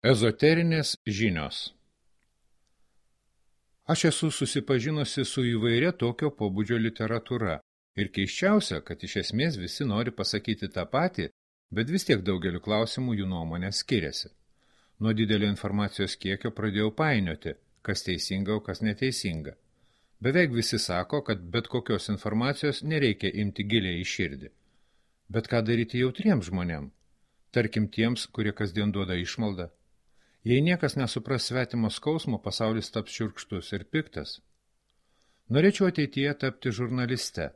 Ezoterinės žinios. Aš esu susipažinusi su įvairia tokio pobūdžio literatūra ir keisčiausia, kad iš esmės visi nori pasakyti tą patį, bet vis tiek daugeliu klausimų jų nuomonė skiriasi. Nuo didelio informacijos kiekio pradėjau painioti, kas teisinga, o kas neteisinga. Beveik visi sako, kad bet kokios informacijos nereikia imti giliai į širdį. Bet ką daryti jautriems žmonėms? Tarkim tiems, kurie kasdien duoda išmaldą. Jei niekas nesupras svetimo skausmo, pasaulis taps šiurkštus ir piktas. Norėčiau ateityje tapti žurnaliste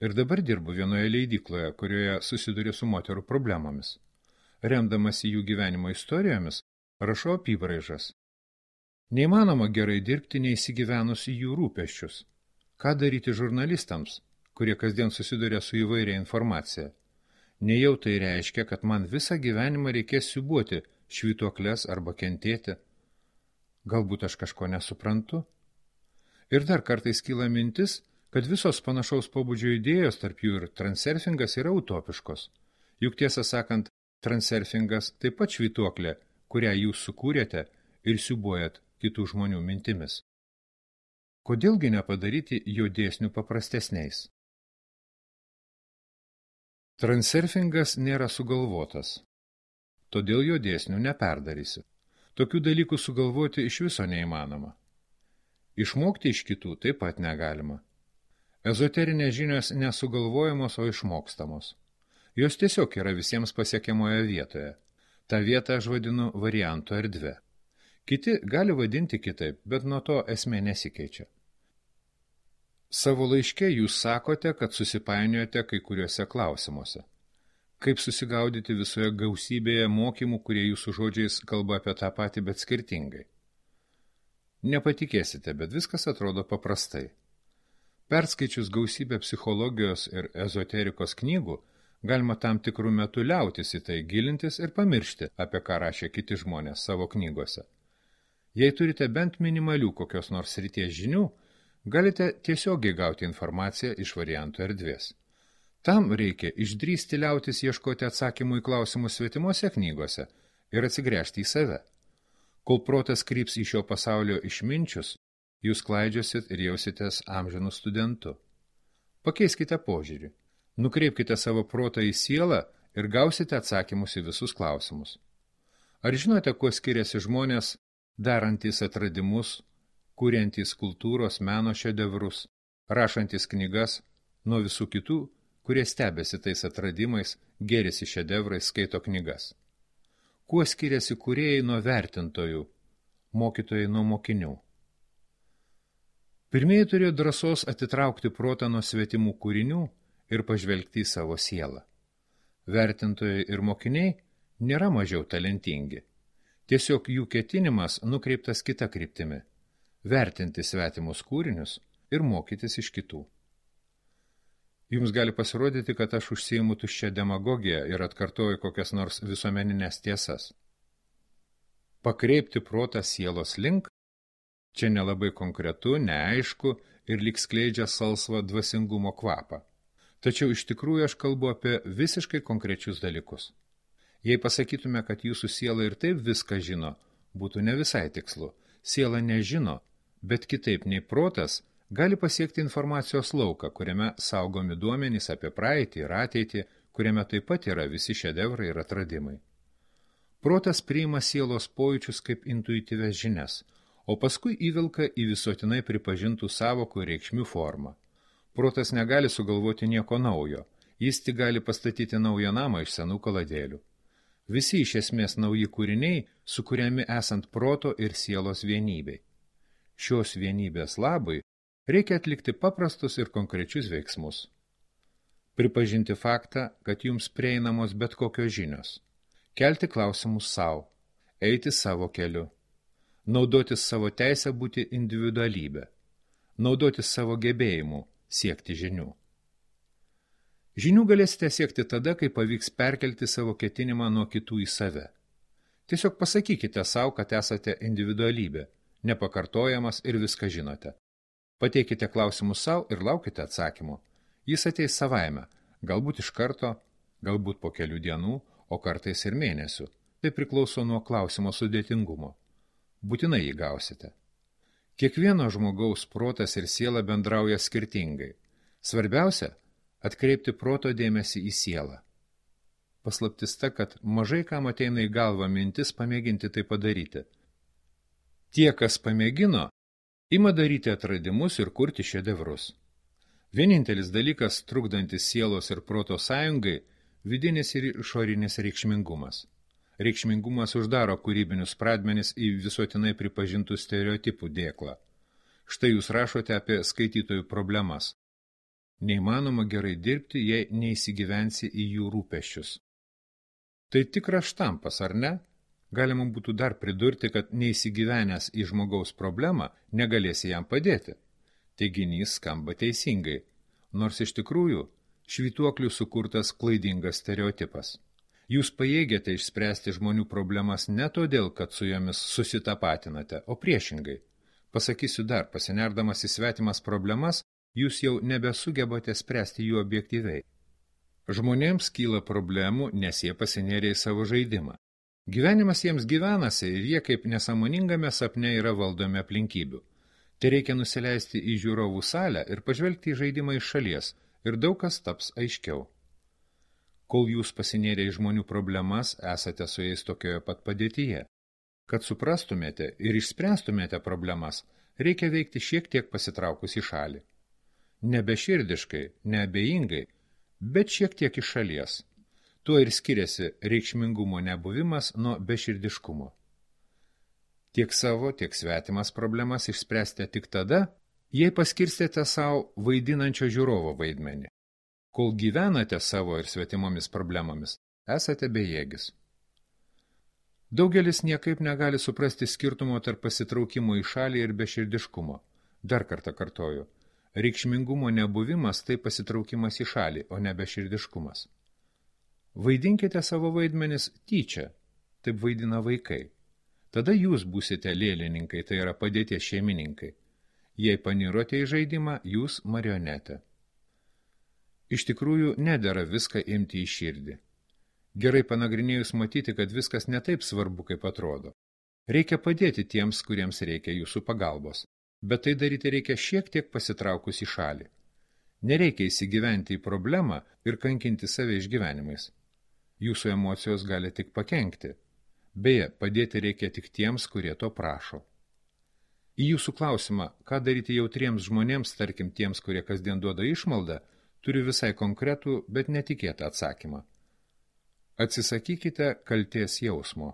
ir dabar dirbu vienoje leidykloje, kurioje susiduriu su moterų problemomis. Remdamasi jų gyvenimo istorijomis, rašau apybraižas. Neįmanoma gerai dirbti neįsigyvenus į jų rūpesčius. Ką daryti žurnalistams, kurie kasdien susiduria su įvairia informacija? Nejau tai reiškia, kad man visą gyvenimą reikės siūbuoti švytuokles arba kentėti. Galbūt aš kažko nesuprantu? Ir dar kartais kyla mintis, kad visos panašaus pobūdžio idėjos, tarp jų ir transurfingas, yra utopiškos. Juk tiesą sakant, transurfingas taip pat švytuoklė, kurią jūs sukūrėte ir siūbuojat kitų žmonių mintimis. Kodėlgi nepadaryti jo dėsnių paprastesniais? Transurfingas nėra sugalvotas, todėl jo dėsnių neperdarysi. Tokių dalykų sugalvoti iš viso neįmanoma. Išmokti iš kitų taip pat negalima. Ezoterinės žinios nesugalvojamos, o išmokstamos. Jos tiesiog yra visiems pasiekiamoje vietoje. Ta vietą aš vadinu variantų erdve. Kiti gali vadinti kitaip, bet nuo to esmė nesikeičia. Savo laiške jūs sakote, kad susipainiojote kai kuriuose klausimuose. Kaip susigaudyti visoje gausybėje mokymų, kurie jūsų žodžiais kalba apie tą patį, bet skirtingai? Nepatikėsite, bet viskas atrodo paprastai. Perskaičius gausybę psichologijos ir ezoterikos knygų, galima tam tikrų metų liautis į tai gilintis ir pamiršti, apie ką rašė kiti žmonės savo knygose. Jei turite bent minimalių kokios nors srities žinių, galite tiesiogiai gauti informaciją iš variantų erdvės. Tam reikia išdrįsti liautis ieškoti atsakymų į klausimus svetimose knygose ir atsigręžti į save. Kol protas kryps į šio pasaulio išminčius, jūs klaidžiosit ir jausitės amžinų studentu. Pakeiskite požiūrį, nukreipkite savo protą į sielą ir gausite atsakymus į visus klausimus. Ar žinote, kuo skiriasi žmonės, darantys atradimus, kuriantys kultūros meno šedevrus, rašantys knygas, nuo visų kitų, kurie stebėsi tais atradimais, gėrisi šedevrais, skaito knygas? Kuo skiriasi kūrėjai nuo vertintojų, mokytojai nuo mokinių? Pirmieji turėjo drąsos atitraukti protą nuo svetimų kūrinių ir pažvelgti į savo sielą. Vertintojai ir mokiniai nėra mažiau talentingi. Tiesiog jų ketinimas nukreiptas kita kryptimi – vertinti svetimus kūrinius ir mokytis iš kitų. Jums gali pasirodyti, kad aš užsiimu tuščią demagogiją ir atkartoju kokias nors visuomeninės tiesas. Pakreipti protą sielos link – čia nelabai konkretu, neaišku ir lyg skleidžia salsvą dvasingumo kvapą. Tačiau iš tikrųjų aš kalbu apie visiškai konkrečius dalykus. Jei pasakytume, kad jūsų siela ir taip viską žino, būtų ne visai tikslu. Siela nežino, bet kitaip nei protas gali pasiekti informacijos lauką, kuriame saugomi duomenys apie praeitį ir ateitį, kuriame taip pat yra visi šedevrai ir atradimai. Protas priima sielos pojūčius kaip intuityvias žinias, o paskui įvilka į visuotinai pripažintų sąvokų ir reikšmių formą. Protas negali sugalvoti nieko naujo, jis tik gali pastatyti naują namą iš senų kaladėlių. Visi iš esmės nauji kūriniai sukuriami esant proto ir sielos vienybei. Šios vienybės labui reikia atlikti paprastus ir konkrečius veiksmus. Pripažinti faktą, kad jums prieinamos bet kokios žinios. Kelti klausimus savo, eiti savo keliu. Naudotis savo teisę būti individualybė. Naudotis savo gebėjimu siekti žinių. Žinių galėsite siekti tada, kai pavyks perkelti savo ketinimą nuo kitų į save. Tiesiog pasakykite savo, kad esate individualybė, nepakartojamas ir viską žinote. Pateikite klausimus savo ir laukite atsakymo. Jis ateis savaime, galbūt iš karto, galbūt po kelių dienų, o kartais ir mėnesių. Tai priklauso nuo klausimo sudėtingumo. Būtinai jį gausite. Kiekvieno žmogaus protas ir siela bendrauja skirtingai. Svarbiausia – atkreipti proto dėmesį į sielą. Paslaptis ta, kad mažai kam ateina į galvą mintis pamėginti tai padaryti. Tie, kas pamėgino, ima daryti atradimus ir kurti šedevrus. Vienintelis dalykas, trukdantis sielos ir proto sąjungai – vidinis ir išorinis reikšmingumas. Reikšmingumas uždaro kūrybinius pradmenis į visuotinai pripažintų stereotipų dėklą. Štai jūs rašote apie skaitytojų problemas. Neįmanoma gerai dirbti, jei neįsigyvensi į jų rūpesčius. Tai tikras štampas, ar ne? Galima būtų dar pridurti, kad neįsigyvenęs į žmogaus problemą negalėsi jam padėti. Teiginys skamba teisingai, nors iš tikrųjų švytuoklių sukurtas klaidingas stereotipas. Jūs pajėgiate išspręsti žmonių problemas ne todėl, kad su jomis susitapatinate, o priešingai. Pasakysiu dar, pasinerdamas į svetimas problemas, jūs jau nebesugebate spręsti jų objektyviai. Žmonėms kyla problemų, nes jie pasinėrė į savo žaidimą. Gyvenimas jiems gyvenasi ir jie kaip nesąmoningame sapne yra valdomi aplinkybių. Tai reikia nusileisti į žiūrovų salę ir pažvelgti į žaidimą iš šalies, ir daug kas taps aiškiau. Kol jūs pasinėrė į žmonių problemas, esate su jais tokioje pat padėtyje. Kad suprastumėte ir išspręstumėte problemas, reikia veikti šiek tiek pasitraukus į šalį. Nebeširdiškai, neabejingai, bet šiek tiek iš šalies. Tuo ir skiriasi reikšmingumo nebuvimas nuo beširdiškumo. Tiek savo, tiek svetimas problemas išspręsite tik tada, jei paskirstėte savo vaidinančio žiūrovo vaidmenį. Kol gyvenate savo ir svetimomis problemomis, esate bejėgis. Daugelis niekaip negali suprasti skirtumo tarp pasitraukimo į šalį ir beširdiškumo. Dar kartą kartoju, reikšmingumo nebuvimas tai pasitraukimas į šalį, o ne beširdiškumas. Vaidinkite savo vaidmenis tyčia, taip vaidina vaikai. Tada jūs būsite lėlininkai, tai yra padėties šeimininkai. Jei panirote į žaidimą, jūs marionetė. Iš tikrųjų, nedera viską imti į širdį. Gerai panagrinėjus matyti, kad viskas ne taip svarbu, kaip atrodo. Reikia padėti tiems, kuriems reikia jūsų pagalbos, bet tai daryti reikia šiek tiek pasitraukus į šalį. Nereikia įsigyventi į problemą ir kankinti save išgyvenimais. Jūsų emocijos gali tik pakenkti. Beje, padėti reikia tik tiems, kurie to prašo. Į jūsų klausimą, ką daryti jautriems žmonėms, tarkim tiems, kurie kasdien duoda išmaldą, turiu visai konkretų, bet netikėtą atsakymą. Atsisakykite kaltės jausmo.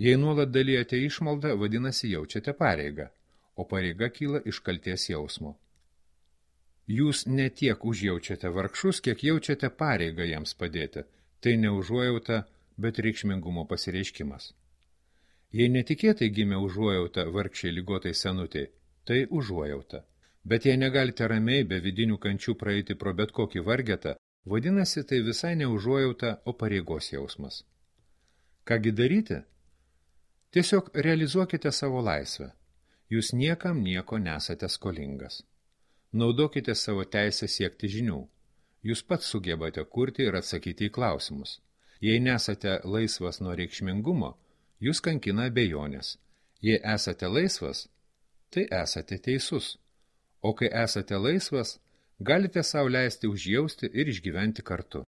Jei nuolat dalijate išmaldą, vadinasi jaučiate pareigą, o pareiga kyla iš kaltės jausmo. Jūs ne tiek užjaučiate vargšus, kiek jaučiate pareigą jiems padėti. Tai ne užuojauta, bet reikšmingumo pasireiškimas. Jei netikėtai gimė užuojauta vargšiai ligotai senutei, tai užuojauta. Bet jei negalite ramiai be vidinių kančių praeiti pro bet kokį vargetą, vadinasi, tai visai ne užuojauta, o pareigos jausmas. Kągi daryti? Tiesiog realizuokite savo laisvę. Jūs niekam nieko nesate skolingas. Naudokite savo teisę siekti žinių. Jūs pats sugebate kurti ir atsakyti į klausimus. Jei nesate laisvas nuo reikšmingumo, jūs kankina abejonės. Jei esate laisvas, tai esate teisus. O kai esate laisvas, galite sau leisti užjausti ir išgyventi kartu.